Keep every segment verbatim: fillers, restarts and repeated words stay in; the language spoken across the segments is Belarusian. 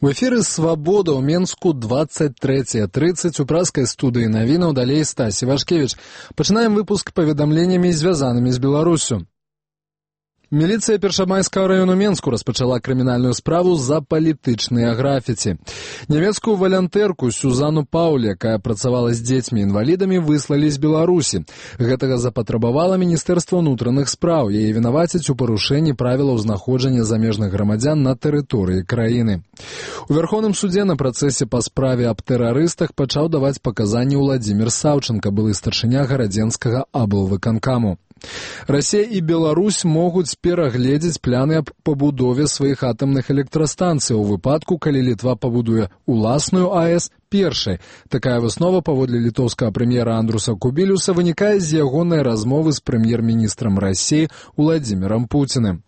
У эфіры «Свабода» ў Менску двадцать третье тридцать у праскай студыі навінаў, далей Стасі Вашкевіч. Пачынаем выпуск паведамленнямі, звязанымі з Беларусю. Міліцыя Першамайскага району Менску распачала крымінальную справу за палітычныя графіці. Нямецкую валянтэрку Сюзану Паўлі, якая працавала з дзецьмі-інвалідамі, выслалі з Беларусі. Гэтага запатрабавала Міністэрства ўнутраных спраў. Яе вінавацяць у парушэнні правілаў знаходжання замежных грамадзян на тэрыторыі краіны. У Вярхоўным судзе на працэсе па справе аб тэрарыстах пачаў даваць паказанні Уладзімір Саўчанка, былы старшыня гарадзенскага аблвыканкаму. Расія і Беларусь могуць перагледзець планы аб пабудове сваіх атамных электрастанцый у выпадку, калі Літва пабудуе уласную АЭС першай. Такая выснова, паводле літоўскага прэм'ера Андруса Кубілюса, вынікае з ягонай размовы з прэм'ер-міністрам Расіі Уладзімірам Пуціным.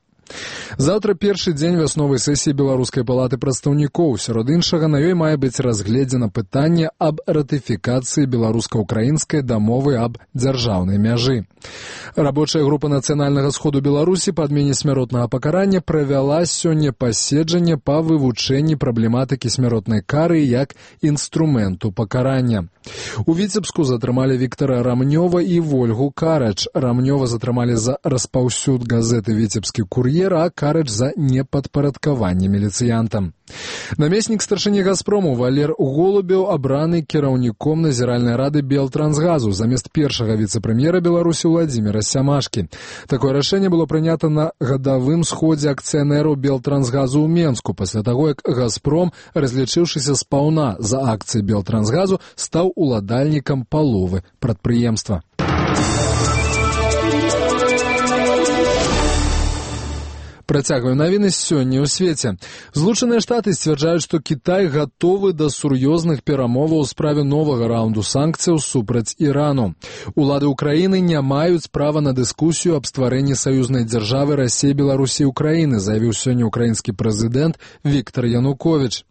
Заўтра першы дзень вясновай сесіі Беларускай палаты прадстаўнікоў. Сярод іншага, на ёй мае быць разгледзена пытанне аб ратыфікацыі беларуска-украінскай дамовы аб дзяржаўнай мяжы. Рабочая група Нацыянальнага сходу Беларусі па адмене смяротнага пакарання правяла сёння паседжанне па вывучэнні праблематыкі смяротнай кары як інструменту пакарання. У Віцебску затрымалі Віктара Рамнёва і Вольгу Карач. Рамнёва затрымалі за распаўсюд газеты «Віцебскі кур'ер», а Карач за непадпарадкаванне міліцыянтам. Намеснік старшыні «Газпрому» Валер Голубеў абраны кіраўніком назіральнай рады Белтрансгазу замест першага віцэ-прэм'ера Беларусі Уладзіміра Сямашкі. Такое рашэнне было прынята на гадавым сходзе акцыянераў Белтрансгазу ў Менску, пасля таго, як «Газпром», разлічыўшыся спаўна за акцыі Белтрансгазу, стаў уладальнікам паловы прадпрыемства. Працягваю навіны сёння ў свеце. Злучаныя Штаты сцвярджаюць, што Кітай гатовы да сур'ёзных перамоваў у справе новага раунду санкцыяў супраць Ірану. Улады ўкраіны не маюць права на дыскусію аб стварэнні саюзнай дзяржавы Расіі, Беларусі і Украіны, заявіў сёння ўкраінскі прэзідэнт Віктар Януковіч.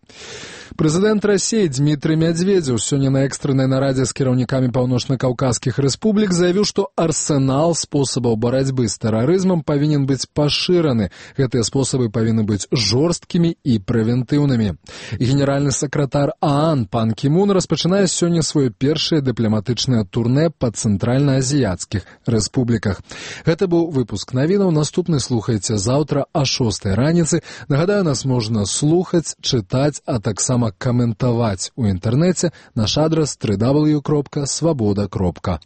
Прэзідэнт Расіі Дмітрый Мядзведзеў сёння на экстраннай нарадзе з кіраўнікамі паўночна-каўказскіх рэспублік заявіў, што арсенал спосабаў барацьбы з тэрарызмам павінен быць пашыраны. Гэтыя спосабы павінны быць жорсткімі і прэвентыўнымі. Генеральны сакратар ААН пан Кімун распачынае сёння сваё першае дыпламатычнае турнэ па цэнтральна-азіяцкіх рэспубліках. Гэта быў выпуск навінаў. Наступны слухайце заўтра а шостай раніцы. Нагадаю, нас можна слухаць, чытаць, а таксама каментаваць у інтэрнэце. Наш адрас дабл ю дабл ю дабл ю кропка свабода кропка